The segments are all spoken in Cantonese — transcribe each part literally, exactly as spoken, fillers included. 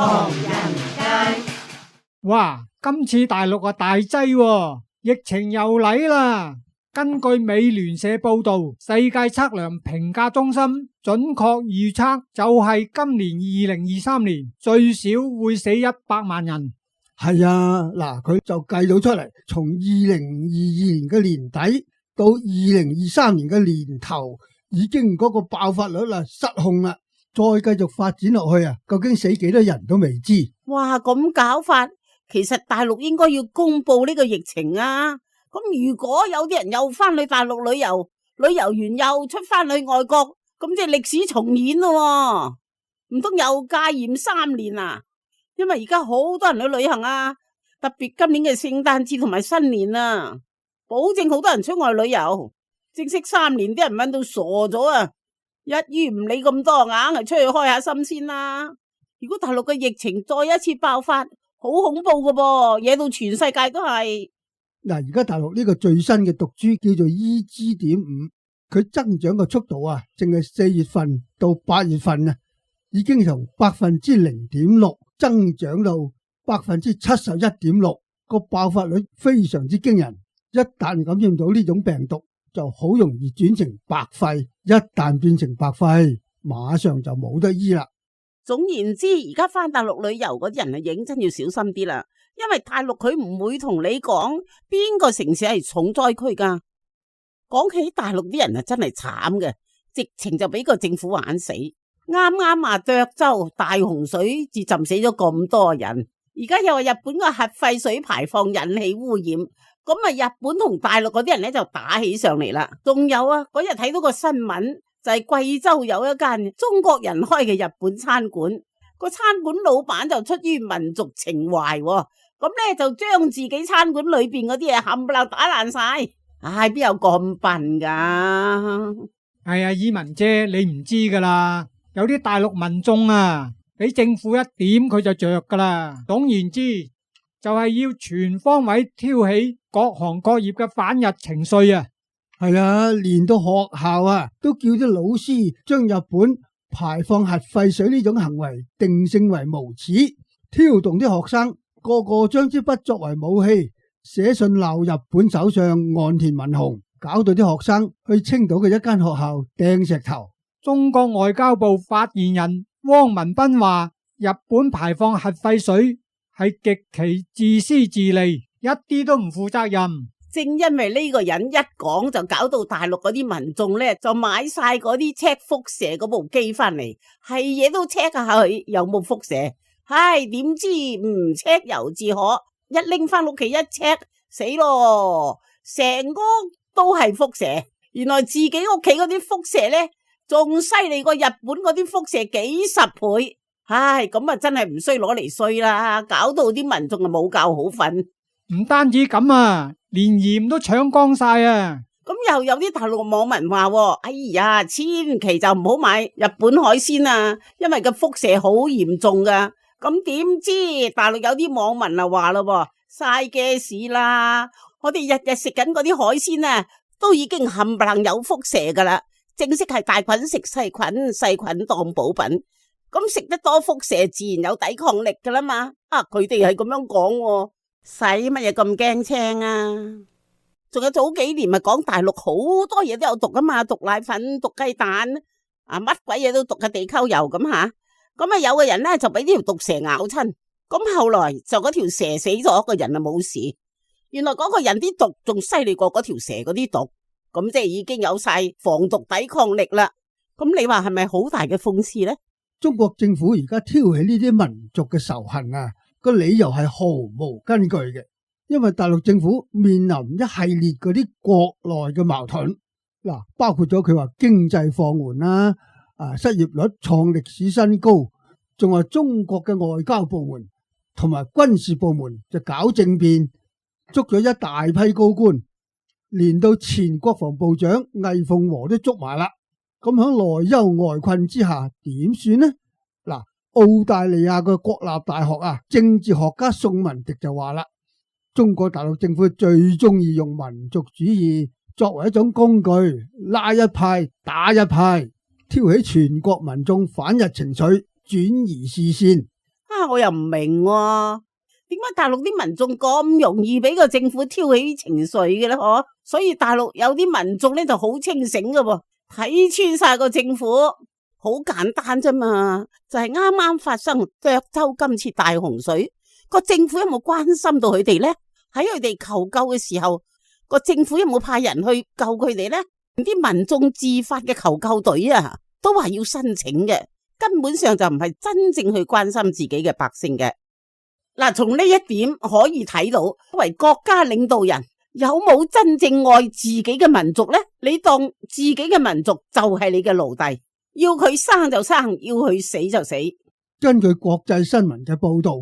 唐人街。哇，今次大陸啊大劑喎，疫情又嚟啦。根據美聯社報道，世界測量評價中心準確預測就係今年二零二三年最少會死一百萬人。係啊，嗱，佢就計到出嚟，從二零二二年嘅年底到二零二三年嘅年頭，已經嗰個爆發率啦失控啦，再繼續發展落去啊，究竟死幾多人都未知。哇，咁搞法，其實大陸應該要公布呢個疫情啊。咁如果有啲人又翻去大陸旅遊，旅遊完又出翻去外國，咁即係歷史重演咯，唔通又戒嚴三年啊？因為而家好多人去旅行啊，特別今年嘅聖誕節同埋新年啊，保證好多人出外旅遊。正式三年啲人問到傻咗啊，一於唔理咁多，硬係出去開下心先啦。如果大陸嘅疫情再一次爆發，好恐怖噶噃，惹到全世界都係。嗱，而家大陸呢個最新嘅毒株叫做 E G 點五，佢增長嘅速度啊，淨係四月份到八月份啊，已經從百分之零點六增長到百分之七十一點六，個爆發率非常之驚人。一旦感染到呢種病毒，就好容易轉成白肺，一旦變成白肺，馬上就冇得醫啦。總言之，而家翻大陸旅遊嗰啲人啊，認真要小心啲啦。因為大陸佢唔會同你講邊個城市係重災區噶。講起大陸啲人啊，真係慘嘅，直情就俾個政府玩死。啱啱啊，涿州大洪水至浸死咗咁多人，而家又話日本個核廢水排放引起污染，咁啊日本同大陸嗰啲人咧就打起上嚟啦。仲有啊，嗰日睇到個新聞，就係貴州有一間中國人開嘅日本餐館，個餐館老闆就出於民族情懷，咁咧就將自己餐館裏邊嗰啲嘢冚唪唥打爛晒。唉，邊有咁笨噶？係啊，以文姐，你唔知噶啦，有啲大陸民眾啊，俾政府一點佢就着噶啦。總言之，就係要全方位挑起各行各業嘅反日情緒啊。係啊，連到學校啊，都叫啲老師將日本排放核廢水呢種行為定性為無恥，挑動啲學生個個將支筆作為武器，寫信鬧日本首相岸田文雄，搞到啲學生去青島嘅一間學校掟石頭。中國外交部發言人汪文斌話，日本排放核廢水係極其自私自利，一啲都唔負責任。正因為呢個人一講，就搞到大陸嗰啲民眾咧就買晒嗰啲 check 輻射嗰部機翻嚟，係嘢都 check 下佢有冇輻射。唉，點知唔 check 猶自可，一拎翻屋企一 check，死咯，成屋都係輻射。原來自己屋企嗰啲輻射咧仲犀利過日本嗰啲輻射幾十倍。唉，咁啊真係唔衰攞嚟衰啦，搞到啲民眾啊冇覺好瞓。唔單止咁啊，連鹽都搶光晒啊！咁又有啲大陸網民話，哎呀，千祈就唔好買日本海鮮啊，因為個輻射好嚴重噶。咁點知大陸有啲網民啊話咯，嘥嘅事啦，我哋日日食緊嗰啲海鮮啊，都已經冚唪唥有輻射噶啦，正式係大菌食細菌，細菌當補品。咁食得多輻射，自然有抵抗力噶啦嘛。啊，佢哋係咁樣講，使乜嘢咁驚青啊？仲有早幾年咪講大陸好多嘢都有毒噶嘛，毒奶粉、毒雞蛋，啊乜鬼嘢都毒嘅地溝油咁吓。咁啊有個人咧就俾呢條毒蛇咬親，咁後來就嗰條蛇死咗，個人啊冇事。原來嗰個人啲毒仲犀利過嗰條蛇嗰啲毒，咁即係已經有晒防毒抵抗力啦。咁你話係咪好大嘅諷刺呢？中國政府而家挑起呢啲民族嘅仇恨啊，個理由係毫無根據嘅，因為大陸政府面臨一系列嗰啲國內嘅矛盾，嗱，包括咗佢話經濟放緩啦。啊！失業率創歷史新高，仲話中國嘅外交部門同埋軍事部門就搞政變，捉咗一大批高官，連到前國防部長魏鳳和都捉埋啦。咁喺內憂外困之下，點算呢？嗱，澳大利亞嘅國立大學啊，政治學家宋文迪就話啦，中國大陸政府最中意用民族主義作為一種工具，拉一派打一派，挑起全國民眾反日情緒，轉移視線。啊，我又唔明喎，點解大陸啲民眾咁容易俾個政府挑起情緒嘅咧？嗬，所以大陸有啲民眾咧就好清醒嘅喎，睇穿晒個政府，好簡單啫嘛，就係啱啱發生涿州今次大洪水，個政府有冇關心到佢哋咧？喺佢哋求救嘅時候，個政府有冇派人去救佢哋咧？啲民眾自發嘅求救隊啊，都話要申請嘅，根本上就唔係真正去關心自己嘅百姓嘅。嗱，從呢一點可以睇到，作為國家領導人有冇真正愛自己嘅民族呢？你當自己嘅民族就係你嘅奴隸，要佢生就生，要佢死就死。根據國際新聞嘅報道，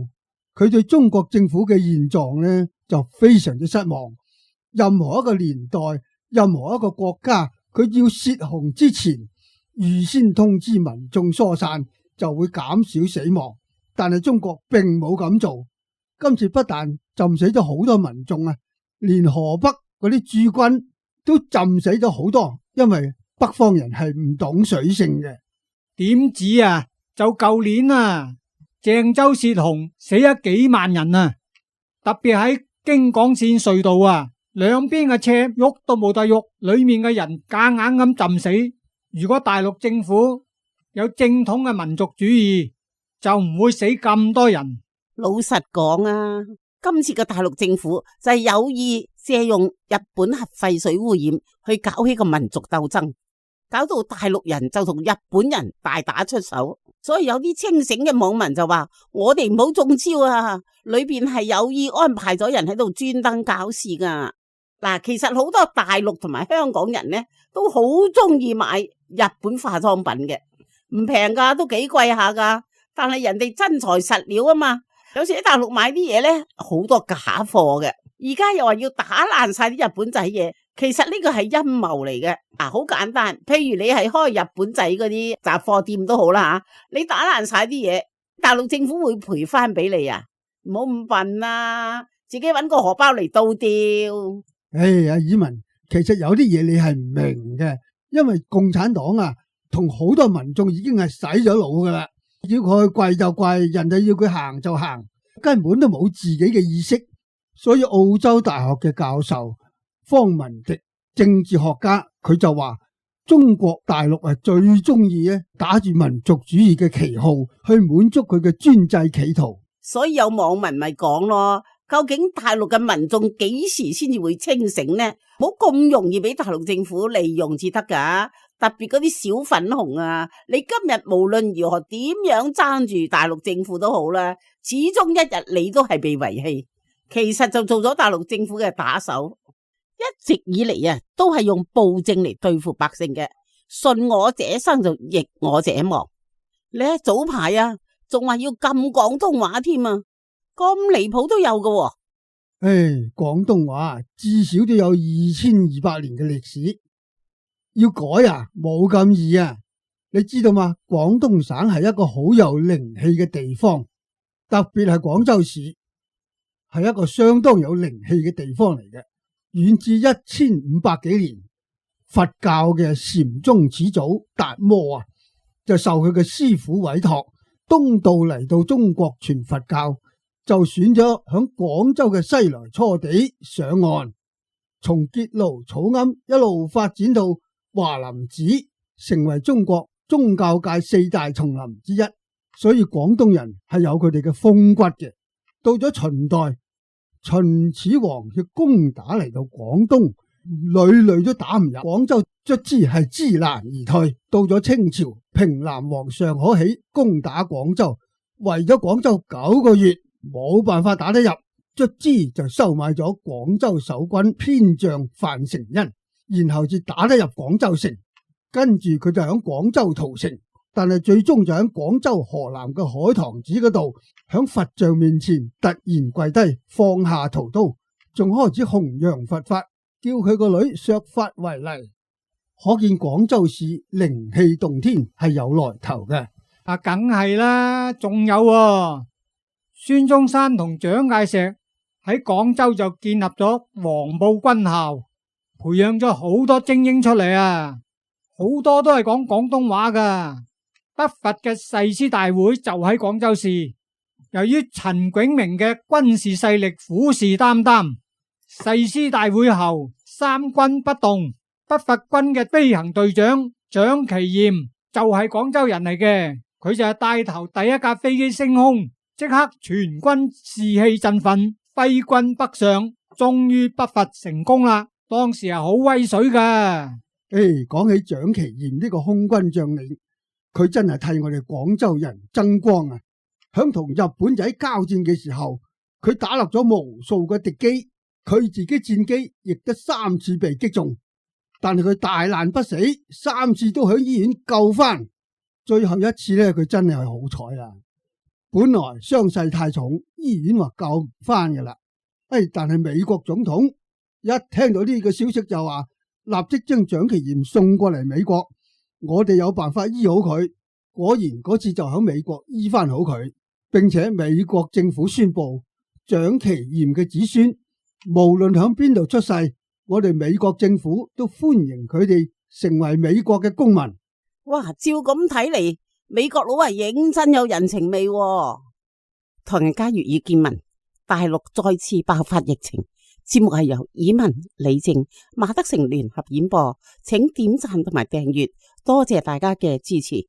佢對中國政府嘅現狀呢就非常之失望。任何一個年代，任何一個國家，佢要泄洪之前預先通知民眾疏散，就會減少死亡。但係中國並冇咁做，今次不但浸死咗好多民眾啊，連河北嗰啲駐軍都浸死咗好多，因為北方人係唔懂水性嘅。點止啊？就舊年啊，鄭州泄洪死咗幾萬人啊，特別喺京廣線隧道啊，兩邊嘅車喐都冇得喐，裏面嘅人夾硬咁浸死。如果大陸政府有正統嘅民族主義，就唔會死咁多人。老實講啊，今次嘅大陸政府就係有意借用日本核廢水污染去搞起個民族鬥爭，搞到大陸人就同日本人大打出手。所以有啲清醒嘅網民就話：我哋唔好中招啊！裏邊係有意安排咗人喺度專登搞事噶。嗱，其實好多大陸同埋香港人呢，都好中意買日本化妝品嘅，唔平噶，都幾貴下噶。但係人哋真材實料啊嘛，有時喺大陸買啲嘢呢，好多假貨嘅。而家又話要打爛晒啲日本仔嘢，其實呢個係陰謀嚟嘅。啊，好簡單，譬如你係開日本仔嗰啲雜貨店都好啦吓，你打爛晒啲嘢，大陸政府會賠翻俾你啊？唔好咁笨啦，自己搵個荷包嚟倒掉。唉，阿爾文，其實有啲嘢你係唔明嘅，因為共產黨啊，同好多民眾已經係洗咗腦噶啦。要佢跪就跪，人哋要佢行就行，根本都冇自己嘅意識。所以澳洲大學嘅教授方文迪政治學家，佢就話中國大陸係最中意咧打住民族主義嘅旗號去滿足佢嘅專制企圖。所以有網民咪講咯，究竟大陸嘅民眾幾時先至會清醒呢？冇咁容易俾大陸政府利用至得噶。特別嗰啲小粉紅啊，你今日無論如何點樣爭住大陸政府都好啦，始終一日你都係被遺棄。其實就做咗大陸政府嘅打手，一直以嚟啊都係用暴政嚟對付百姓嘅，順我者生就逆我者亡。你喺早排啊，仲話要禁廣東話添啊，咁離譜都有㗎喎。唉，廣東話至少都有二千二百年嘅歷史。要改啊，冇咁易啊！你知道嗎？廣東省係一個好有靈氣嘅地方，特別係廣州市係一個相當有靈氣嘅地方嚟嘅。遠至一千五百幾年，佛教嘅禪宗始祖達摩啊，就受佢嘅師父委託，東渡嚟到中國傳佛教，就選咗響廣州嘅西來初地上岸，從結廬草庵一路發展到華林寺，成為中國宗教界四大叢林之一。所以廣東人係有佢哋嘅風骨嘅。到咗秦代，秦始皇要攻打嚟到廣東，屢屢都打唔入廣州，卒之係知難而退。到咗清朝，平南王尚可喜攻打廣州，圍咗廣州九個月，冇辦法打得入，卒之就收買咗廣州守軍偏將范成恩，然後至打得入廣州城。跟住佢就響廣州屠城，但係最終就響廣州河南嘅海棠寺嗰度，響佛像面前突然跪低，放下屠刀，仲開始弘揚佛法，叫佢個女削髮為尼。可見廣州市靈氣動天，係有來頭嘅。啊，梗係啦，仲有喎，孫中山同蔣介石喺廣州就建立咗黃埔軍校，培養咗好多精英出嚟啊！好多都係講廣東話噶。北伐嘅誓師大會就喺廣州市，由於陳炯明嘅軍事勢力虎視眈眈，誓師大會後三軍不動，北伐軍嘅飛行隊長蔣其焱就係廣州人嚟嘅，佢就係帶頭第一架飛機升空，即刻全軍士氣振奮，揮軍北上，終於北伐成功啦。當時係好威水噶。誒，講起蔣其焱呢個空軍將領，佢真係替我哋廣州人爭光啊！響同日本仔交戰嘅時候，佢打落咗無數個敵機，佢自己戰機亦都三次被擊中，但係佢大難不死，三次都響醫院救翻。最後一次呢，佢真係好彩啦。本來傷勢太重，醫院話救唔翻噶啦。誒，但係美國總統一聽到呢個消息就話，立即將蔣其焱送過嚟美國，我哋有辦法醫好佢。果然嗰次就喺美國醫翻好佢，並且美國政府宣布，蔣其焱嘅子孫無論響邊度出世，我哋美國政府都歡迎佢哋成為美國嘅公民。哇，照咁睇嚟，美國佬係認真有人情味喎。唐人街粵語見聞，大陸再次爆發疫情。節目係由以文、李靜、馬德成聯合演播，請點讚同埋訂閱，多謝大家嘅支持。